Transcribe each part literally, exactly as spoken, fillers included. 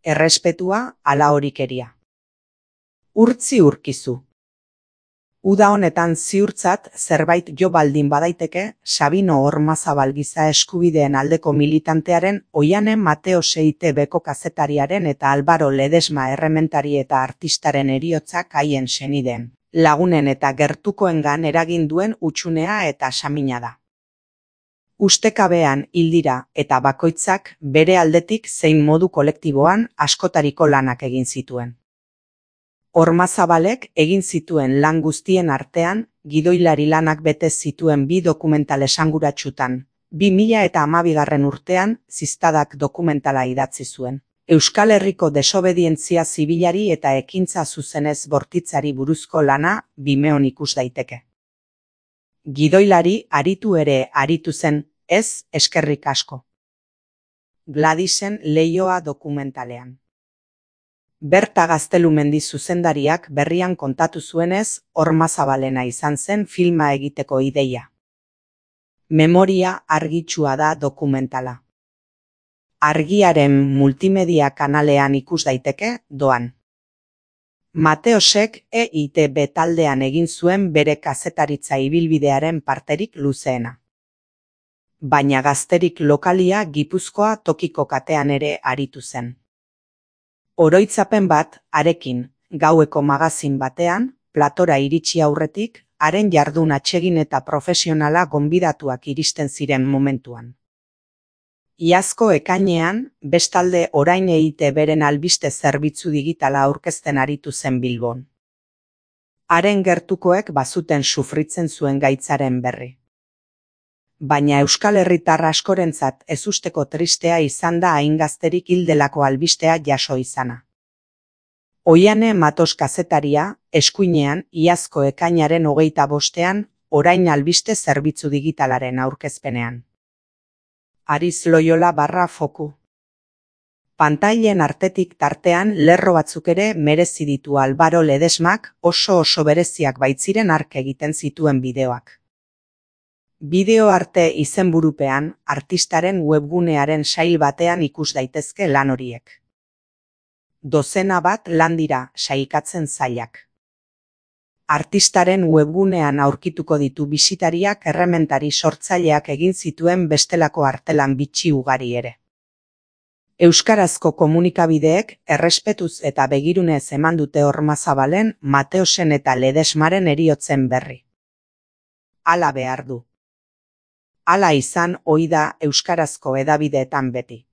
errespetua ala horikeria. Urtzi urkizu. Uda honetan ziurtzat zerbait jo baldin badaiteke Sabino Ormazabal giza eskubideen aldeko militantearen, Oihane Mateos E I Te Beko kazetariaren eta Albaro Ledesma errementari eta artistaren heriotzak haien senideen, lagunen eta gertukoengan eragin duen hutsunea eta samina da. Ustekabean hil dira eta bakoitzak bere aldetik zein modu kolektiboan askotariko lanak egin zituen. Ormazabalek egin zituen lan guztien artean, gidoilari lanak bete zituen bi dokumental esanguratsutan, bi mila eta hamabigarren urtean Ziztadak dokumentala idatzi zuen. Euskal Herriko desobedientzia zibilari eta ekintza zuzenez bortitzari buruzko lana Vimeon ikus daiteke. Gidoilari aritu ere aritu zen, ez eskerrik asko. Gladisen Leioa dokumentalean. Berta Gaztelumendi zuzendariak berrian kontatu zuenez, Ormazabalena izan zen filma egiteko ideia. Memoria argitsua da dokumentala. Argiaren multimedia kanalean ikus daiteke, doan. Mateosek E I Te Be taldean egin zuen bere kazetaritza ibilbidearen parterik luzeena. Baina gazterik lokalia Gipuzkoa tokiko katean ere aritu zen. Oroitzapen bat, harekin, gaueko magazin batean, platora iritsi aurretik, haren jardun atsegin eta profesionala gonbidatuak iristen ziren momentuan. Iazko ekainean, bestalde orain E I Te Beren albiste zerbitzu digitala aurkezten aritu zen Bilbon. Haren gertukoek bazuten sufritzen zuen gaitzaren berri. Baina Euskal Herritar askorentzat ezusteko tristea izan da hain gazterik hildelako albistea jaso izana. Oihane Matos kazetaria, eskuinean, iazko ekainaren hogeita bostean, orain albiste zerbitzu digitalaren aurkezpenean. Ariz Loyola barra foku. Pantailen artetik tartean lerro batzuk ere merezi ditu Albaro Ledesmak, oso oso bereziak baitziren hark egiten zituen bideoak. Bideo arte izenburupean, artistaren webgunearen sail batean ikus daitezke lan horiek. Dozena bat lan dira, sailkatzen zailak. Artistaren webgunean aurkituko ditu bisitariak errementari sortzaileak egin zituen bestelako artelan bitxi ugari ere. Euskarazko komunikabideek errespetuz eta begirunez eman dute Ormazabalen, Mateosen eta Ledesmaren heriotzen berri. Hala behar du. Hala izan ohi da euskarazko hedabideetan beti.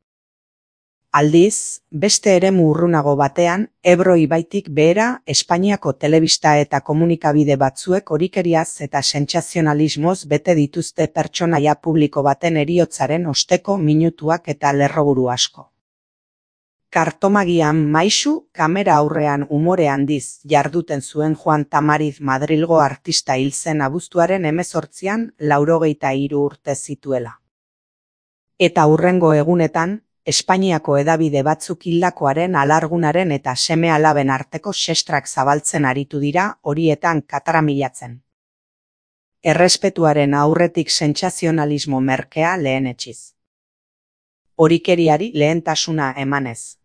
Aldiz, beste eremu urrunago batean, Ebro ibaitik behera Espainiako telebista eta komunikabide batzuek horikeriaz eta sentsazionalismoz bete dituzte pertsonaia publiko baten heriotzaren osteko minutuak eta lerroburu asko. Kartomagian maisu, kamera aurrean umore handiz jarduten zuen Juan Tamariz Madrilgo artista hil zen abuztuaren hemezortzian laurogeita hiru urte zituela. Eta hurrengo egunetan, Espainiako hedabide batzuk hildakoaren alargunaren eta seme-alaben arteko sestrak zabaltzen aritu dira horietan kataramilatzen. Errespetuaren aurretik sentsazionalismo merkea lehenetsiz. Horikeriari lehentasuna emanez.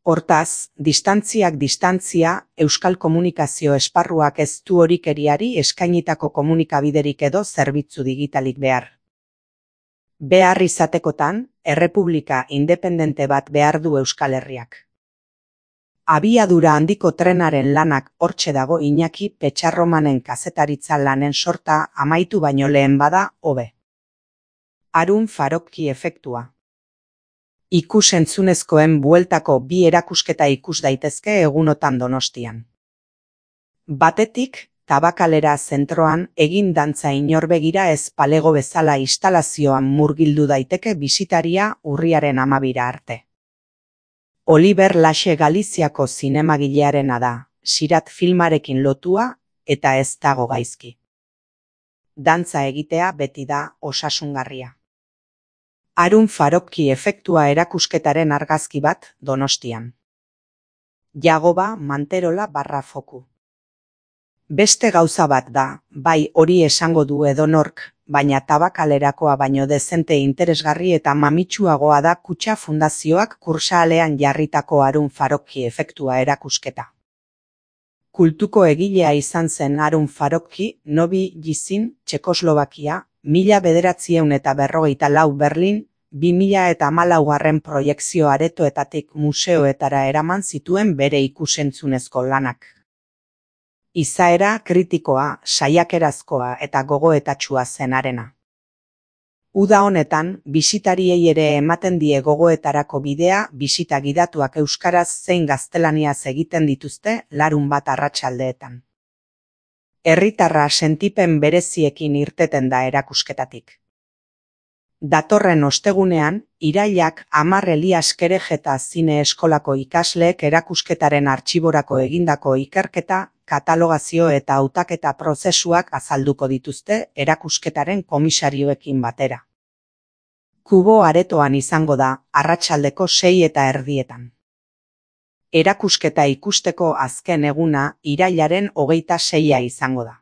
Hortaz, distantziak distantzia, euskal komunikazio esparruak ez du horikeriari eskainitako komunikabiderik edo zerbitzu digitalik behar. Behar izatekotan, errepublika independente bat behar du Euskal Herriak. Abiadura handiko trenaren lanak hortxe dago Iñaki Petxarromanen kazetaritza lanen sorta amaitu baino lehen bada hobe. Harun Farokki efektua. Ikus-entzunezkoen bueltako bi erakusketa ikus daitezke egunotan Donostian. Batetik, Tabakalera zentroan egin dantza inorbegira ez palego bezala instalazioan murgildu daiteke bisitaria urriaren hamabira arte. Oliver Laxe Galiziako zinemagilearena da, Sirat filmarekin lotua eta ez dago gaizki. Dantza egitea beti da osasungarria. Harun Farokki efektua erakusketaren argazki bat Donostian. Jagoba Manterola barra foku. Beste gauza bat da, bai hori esango du edonork, baina tabakalerakoa baino dezente interesgarri eta mamitsuagoa da Kutxa Fundazioak kursaalean jarritako Harun Farocki efektua erakusketa. Kultuko egilea izan zen Harun Farocki, Novi Jisin, Txekoslovakia, mila bederatziehun eta berrogeita lau Berlin, bi mila eta hamalaugarren proiekzio aretoetatik museoetara eraman zituen bere ikusentzunezko lanak. Izaera kritikoa, saiakerazkoa eta gogoetatsua zenarena. Uda honetan, bisitariei ere ematen die gogoetarako bidea bisita gidatuak euskaraz zein gaztelaniaz egiten dituzte larunbat arratsaldeetan. Herritarra sentipen bereziekin irteten da erakusketatik. Datorren ostegunean, irailak hamar Elias Kerejeta Zine Eskolako ikasleek erakusketaren artxiborako egindako ikerketa, katalogazio eta hautaketa prozesuak azalduko dituzte erakusketaren komisarioekin batera. Kubo aretoan izango da, arratsaldeko sei eta erdietan. Erakusketa ikusteko azken eguna irailaren hogeita seia izango da.